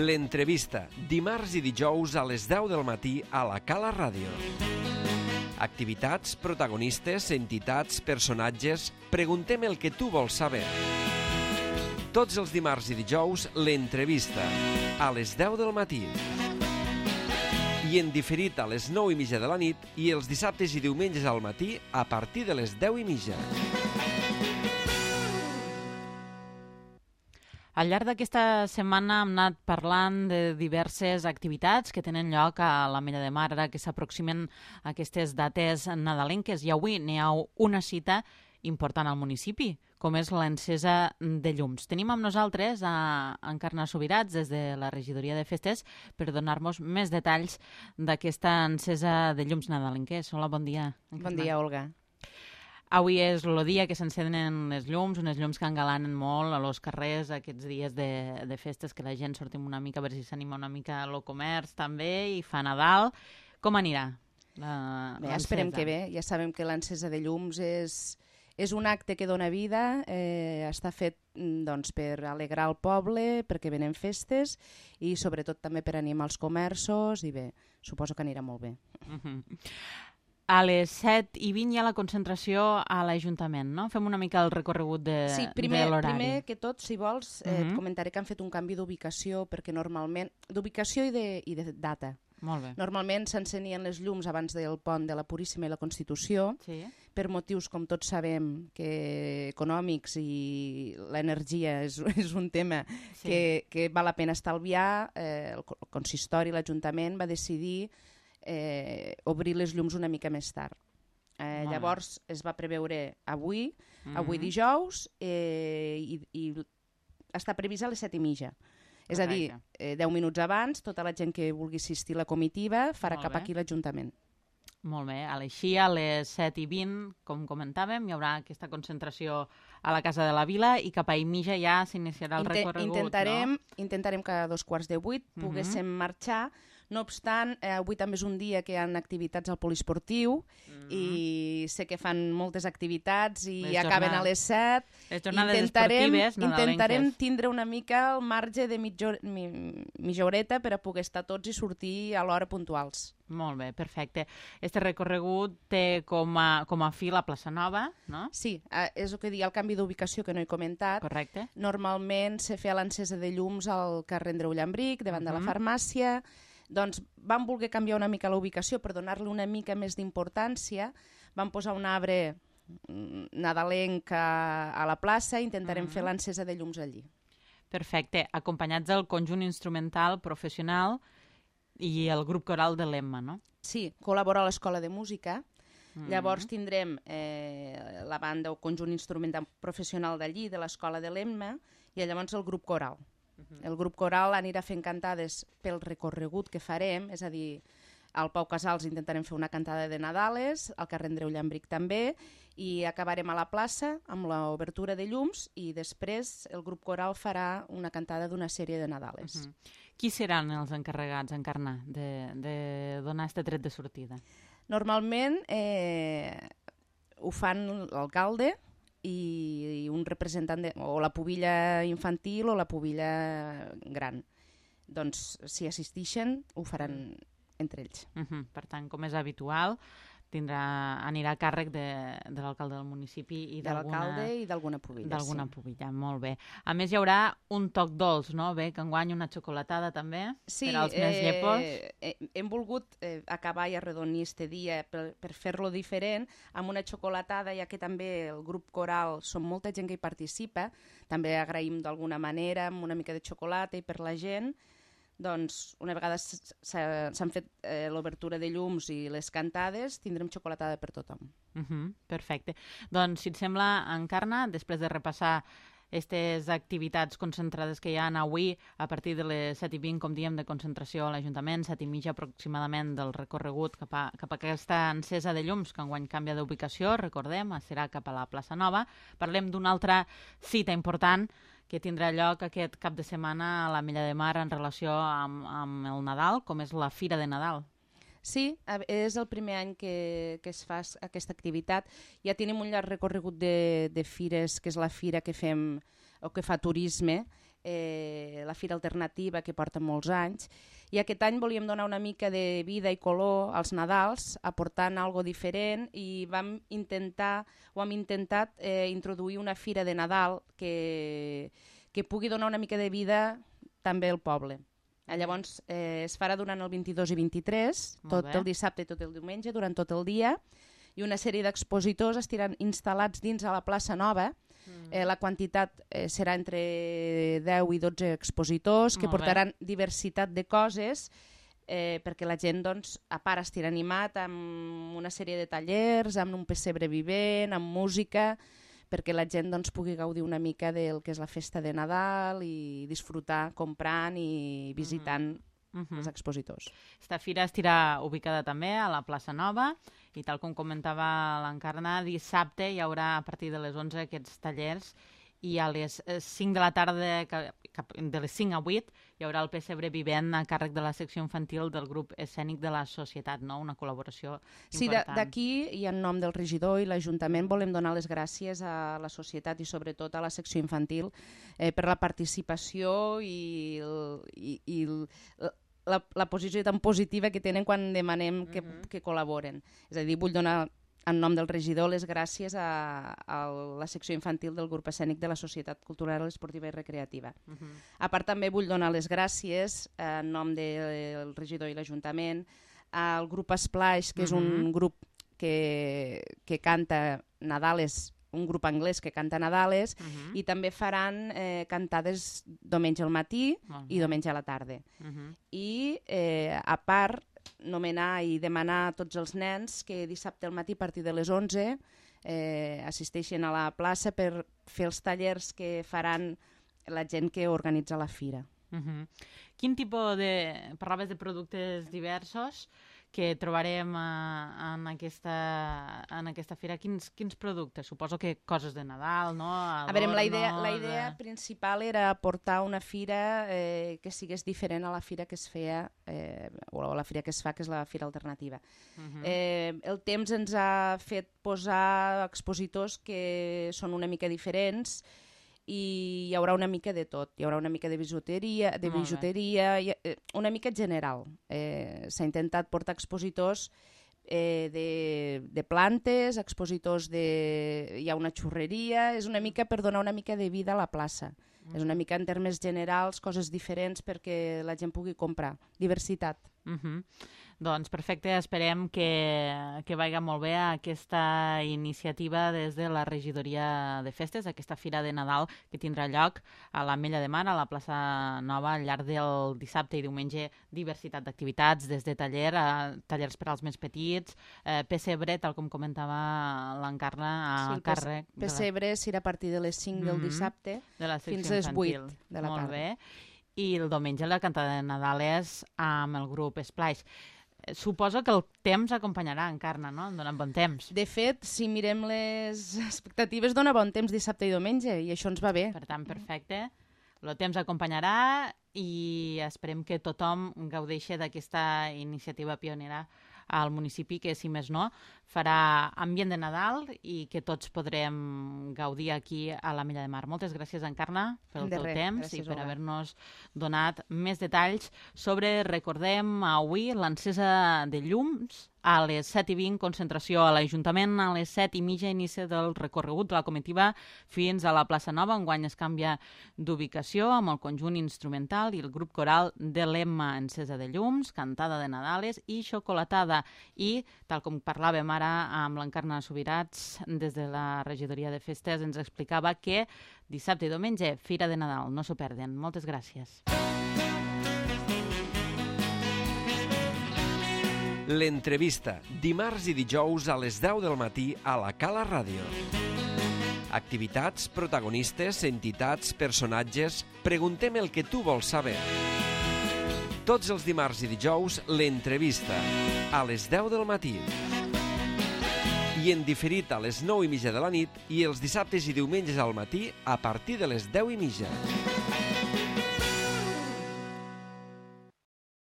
L'entrevista, dimarts i dijous a les 10 del matí a la Cala Ràdio. Activitats, protagonistes, entitats, personatges... Preguntem el que tu vols saber. Tots els dimarts i dijous, l'entrevista, a les 10 del matí. I en diferit a les 9:30 de la nit i els dissabtes i diumenges al matí a partir de les 10:30. Al llarg d'aquesta setmana hem anat parlant de diverses activitats que tenen lloc a l'Ametlla de Mar, ara que s'aproximen aquestes dates nadalenques. I avui n'hi ha una cita important al municipi, com és l'encesa de llums. Tenim amb nosaltres a Encarna Subirats, des de la regidoria de festes, per donar-nos més detalls d'aquesta encesa de llums nadalenques. Hola, bon dia. Bon dia, Olga. Avui és el dia que s'encenen les llums, unes llums que engalanen molt a los carrers aquests dies de festes, que la gent sortim una mica, a veure si s'anima una mica al comerç també, i fa Nadal. Com anirà? Bé, esperem que bé. Ja sabem que l'encesa de llums és un acte que dona vida, està fet doncs, per alegrar el poble, perquè venen festes i sobretot també per animar els comerços i bé, suposo que anirà molt bé. A les 7:20 hi ha la concentració a l'Ajuntament, no? Fem una mica el recorregut de l'horari. Sí, primer que tot, si vols, et comentaré que han fet un canvi d'ubicació, perquè normalment... d'ubicació i de data. Molt bé. Normalment s'encenien les llums abans del pont de la Puríssima i la Constitució, sí, per motius, com tots sabem, que econòmics i l'energia és un tema sí, que val la pena estalviar. El consistori, l'Ajuntament, va decidir obrir les llums una mica més tard. Llavors es va preveure avui dijous, i està previst a les 7:30. És a dir, 10 minuts abans, tota la gent que vulgui assistir a la comitiva farà cap aquí l'Ajuntament. Molt bé. Així a les 7:20, com comentàvem, hi haurà aquesta concentració a la Casa de la Vila i cap a mitja ja s'iniciarà el recorregut. Intentarem que a 7:45 poguéssim marxar. No obstant, avui també és un dia que hi ha activitats al poliesportiu i sé que fan moltes activitats i acaben a les 7. Les jornades esportives nadalenques. Intentarem tindre una mica el marge de mitja horeta per a poder estar tots i sortir a l'hora puntuals. Molt bé, perfecte. Este recorregut té com a fi la plaça Nova, no? Sí, és el que dic, el canvi d'ubicació que no he comentat. Correcte. Normalment se feia l'encesa de llums al carrer Andreu Llambric, davant de la farmàcia. Doncs vam voler canviar una mica la ubicació per donar-li una mica més d'importància. Vam posar un arbre nadalenc a la plaça i intentarem fer l'encesa de llums allí. Perfecte. Acompanyats del conjunt instrumental professional i el grup coral de l'Emma, no? Sí, col·labora a l'Escola de Música. Llavors tindrem la banda o conjunt instrumental professional d'allí, de l'Escola de l'Emma, i llavors el grup coral. El grup coral anirà fent cantades pel recorregut que farem, és a dir, al Pau Casals intentarem fer una cantada de Nadales, al carrer Andreu Llambric també, i acabarem a la plaça amb l'obertura de llums i després el grup coral farà una cantada d'una sèrie de Nadales. Qui seran els encarregats, Encarna, de donar aquest tret de sortida? Normalment ho fan l'alcalde i un representant o la pubilla infantil o la pubilla gran. Doncs si assistixen ho faran entre ells. Per tant, com és habitual, anirà a càrrec de l'alcalde del municipi i de l'alcalde i d'alguna pubilla. D'alguna pubilla, molt bé. A més, hi haurà un toc dolç, no? Bé, que enguany una xocolatada també, per als més llepos. Sí, hem volgut acabar i arredonir este dia per fer-lo diferent amb una xocolatada, ja que també el grup coral som molta gent que hi participa, també agraïm d'alguna manera amb una mica de xocolata i per la gent. Doncs una vegada s'han fet l'obertura de llums i les cantades, tindrem xocolatada per tothom. Perfecte. Doncs, si et sembla, Encarna, després de repassar aquestes activitats concentrades que hi ha avui, a partir de les 7:20, com diem, de concentració a l'Ajuntament, 7:30 aproximadament del recorregut cap a aquesta encesa de llums, que enguany canvia d'ubicació, recordem, serà cap a la plaça Nova. Parlem d'una altra cita important que tindrà lloc aquest cap de setmana a l'Ametlla de Mar en relació amb el Nadal, com és la Fira de Nadal. Sí, és el primer any que es fa aquesta activitat. Ja tenim un llarg recorregut de fires, que és la fira que fem o que fa turisme, la Fira Alternativa, que porta molts anys, i aquest any volíem donar una mica de vida i color als Nadals, aportant algo diferent, i hem intentat introduir una fira de Nadal que pugui donar una mica de vida també al poble. Llavors es farà durant el 22 i 23, tot el dissabte i tot el diumenge, durant tot el dia, i una sèrie d'expositors estiran instal·lats dins a la plaça Nova. La quantitat serà entre 10 i 12 expositors que portaran diversitat de coses perquè la gent, a part, estirà animat amb una sèrie de tallers, amb un pessebre vivent, amb música, perquè la gent pugui gaudir una mica del que és la festa de Nadal i disfrutar comprant i visitant els expositors. Esta fira estirà ubicada també a la plaça Nova i tal com comentava l'Encarna, dissabte hi haurà a partir de les 11 aquests tallers i a les 5 de la tarda, de les 5 a 8, hi haurà el pessebre vivent a càrrec de la secció infantil del grup escènic de la societat, no? Una col·laboració important. Sí, d'aquí i en nom del regidor i l'Ajuntament volem donar les gràcies a la societat i sobretot a la secció infantil per la participació i la posició tan positiva que tenen quan demanem que col·laboren. És a dir, vull donar en nom del regidor les gràcies a la secció infantil del grup escènic de la Societat Cultural, Esportiva i Recreativa. A part, també vull donar les gràcies en nom del regidor i l'Ajuntament al grup Splash, que és un grup que canta Nadales, un grup anglès que canta Nadales, i també faran cantades diumenge al matí i diumenge a la tarda. I, a part, nomenar i demanar a tots els nens que dissabte al matí a partir de les 11 assisteixin a la plaça per fer els tallers que faran la gent que organitza la fira. Quin tipus de... Parlaves de productes diversos que trobarem en aquesta fira. Quins productes? Suposo que coses de Nadal, no? A veure, la idea principal era aportar una fira que sigués diferent a la fira que es feia, o a la fira que es fa, que és la Fira Alternativa. El temps ens ha fet posar expositors que són una mica diferents i hi haurà una mica de tot. Hi haurà una mica de bijuteria, una mica general. S'ha intentat portar expositors de plantes, expositors de... Hi ha una xurreria, és una mica per donar una mica de vida a la plaça. És una mica en termes generals, coses diferents perquè la gent pugui comprar. Diversitat. Doncs perfecte, esperem que vagi molt bé aquesta iniciativa des de la regidoria de festes, aquesta fira de Nadal que tindrà lloc a l'Ametlla de Mar, a la plaça Nova, al llarg del dissabte i diumenge, diversitat d'activitats, des de tallers per als més petits, pessebre, tal com comentava l'Encarna, a càrrec... Pessebre serà a partir de les 5 del dissabte fins a les 8 de la tarda. Molt bé. I el diumenge la cantada de Nadal és amb el grup Splash. Suposo que el temps acompanyarà, Encarna, no? Dona bon temps. De fet, si mirem les expectatives, dona bon temps dissabte i diumenge, i això ens va bé. Per tant, perfecte. El temps acompanyarà i esperem que tothom gaudeixi d'aquesta iniciativa pionera al municipi, que, si més no, farà ambient de Nadal i que tots podrem gaudir aquí a l'Ametlla de Mar. Moltes gràcies, Encarna, pel teu temps i per haver-nos donat més detalls sobre, recordem, avui l'encesa de llums a les 7:20, concentració a l'Ajuntament, a les 7:30 inici del recorregut de la comitiva fins a la plaça Nova. Enguany es canvia d'ubicació amb el conjunt instrumental i el grup coral de l'Emma, encesa de llums, cantada de Nadales i xocolatada. I, tal com parlàvem ara amb l'Encarna Subirats, des de la regidoria de festes ens explicava que dissabte i diumenge, Fira de Nadal, no s'ho perden. Moltes gràcies. L'entrevista, dimarts i dijous a les 10 del matí a la Cala Ràdio. Activitats, protagonistes, entitats, personatges... Preguntem el que tu vols saber. Tots els dimarts i dijous, l'entrevista, a les 10 del matí. I en diferit a les 9:30 de la nit i els dissabtes i diumenges al matí a partir de les 10:30.